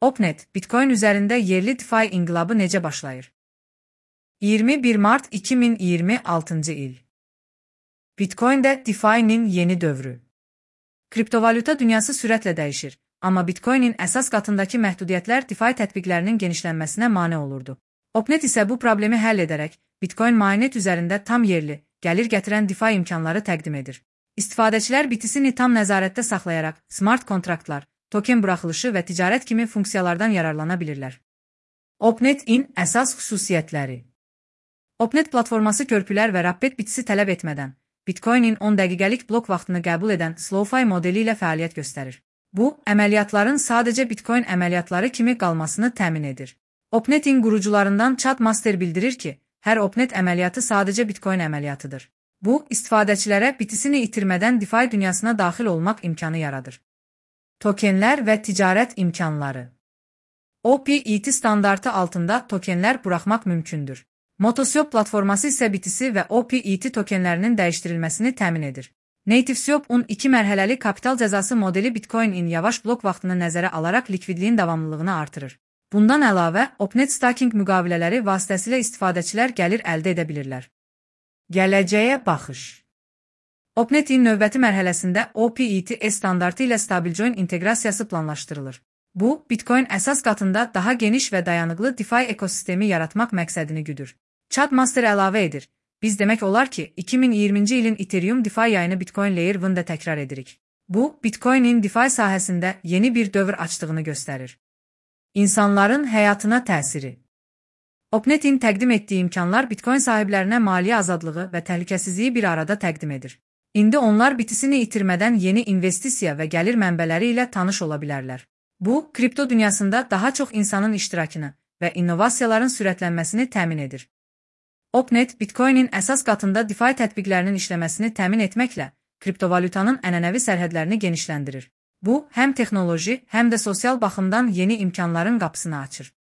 Opnet, Bitcoin üzərində yerli DeFi inqilabı necə başlayır? 21 mart 2026-cı il. Bitcoin'də DeFi'nin yeni dövrü. Kriptovalyuta dünyası sürətlə dəyişir, amma Bitcoin'in əsas qatındakı məhdudiyyətlər DeFi tətbiqlərinin genişlənməsinə mane olurdu. Opnet isə bu problemi həll edərək Bitcoin mainnet üzərində tam yerli, gəlir gətirən DeFi imkanları təqdim edir. İstifadəçilər BTC-ni tam nəzarətdə saxlayaraq smart kontraktlar, token buraxılışı və ticarət kimi funksiyalardan yararlana bilirlər. Opnet-in əsas xüsusiyyətləri. Opnet platforması körpülər və rapid bitisi tələb etmədən, Bitcoin-in 10 dəqiqəlik blok vaxtını qəbul edən SlowFi modeli ilə fəaliyyət göstərir. Bu, əməliyyatların sadəcə Bitcoin əməliyyatları kimi qalmasını təmin edir. Opnet-in qurucularından Chad Master bildirir ki, hər Opnet əməliyyatı sadəcə Bitcoin əməliyyatıdır. Bu, istifadəçilərə BTC-ni itirmədən DeFi dünyasına daxil olmaq imkanı yaradır. Tokenlər və ticarət imkanları. OPET standartı altında tokenlər buraxmaq mümkündür. Motoswap platforması isə BTC və OPET tokenlərinin dəyişdirilməsini təmin edir. NativeSwap-un 2 mərhələli kapital cəzası modeli Bitcoin-in yavaş blok vaxtını nəzərə alaraq likvidliyin davamlılığını artırır. Bundan əlavə, Opnet staking müqavilələri vasitəsilə istifadəçilər gəlir əldə edə bilirlər. Gələcəyə baxış. Opnet-in növbəti mərhələsində OPET standartı ilə StableJoin inteqrasiyası planlaşdırılır. Bu, Bitcoin əsas qatında daha geniş və dayanıqlı DeFi ekosistemi yaratmaq məqsədini güdür. Chad Master əlavə edir. Biz demək olar ki, 2020-ci ilin Ethereum DeFi yayını Bitcoin Layer 1-də təkrar edirik. Bu, Bitcoin-in DeFi sahəsində yeni bir dövr açdığını göstərir. İnsanların həyatına təsiri. Opnet-in təqdim etdiyi imkanlar Bitcoin sahiblərinə maliyyə azadlığı və təhlükəsizliyi bir arada təqdim edir. İndi onlar BTC-ni itirmədən yeni investisiya və gəlir mənbələri ilə tanış ola bilərlər. Bu, kripto dünyasında daha çox insanın iştirakını və innovasiyaların sürətlənməsini təmin edir. Opnet, Bitcoin-in əsas qatında DeFi tətbiqlərinin işləməsini təmin etməklə kriptovalyutanın ənənəvi sərhədlərini genişləndirir. Bu, həm texnoloji, həm də sosial baxımdan yeni imkanların qapısını açır.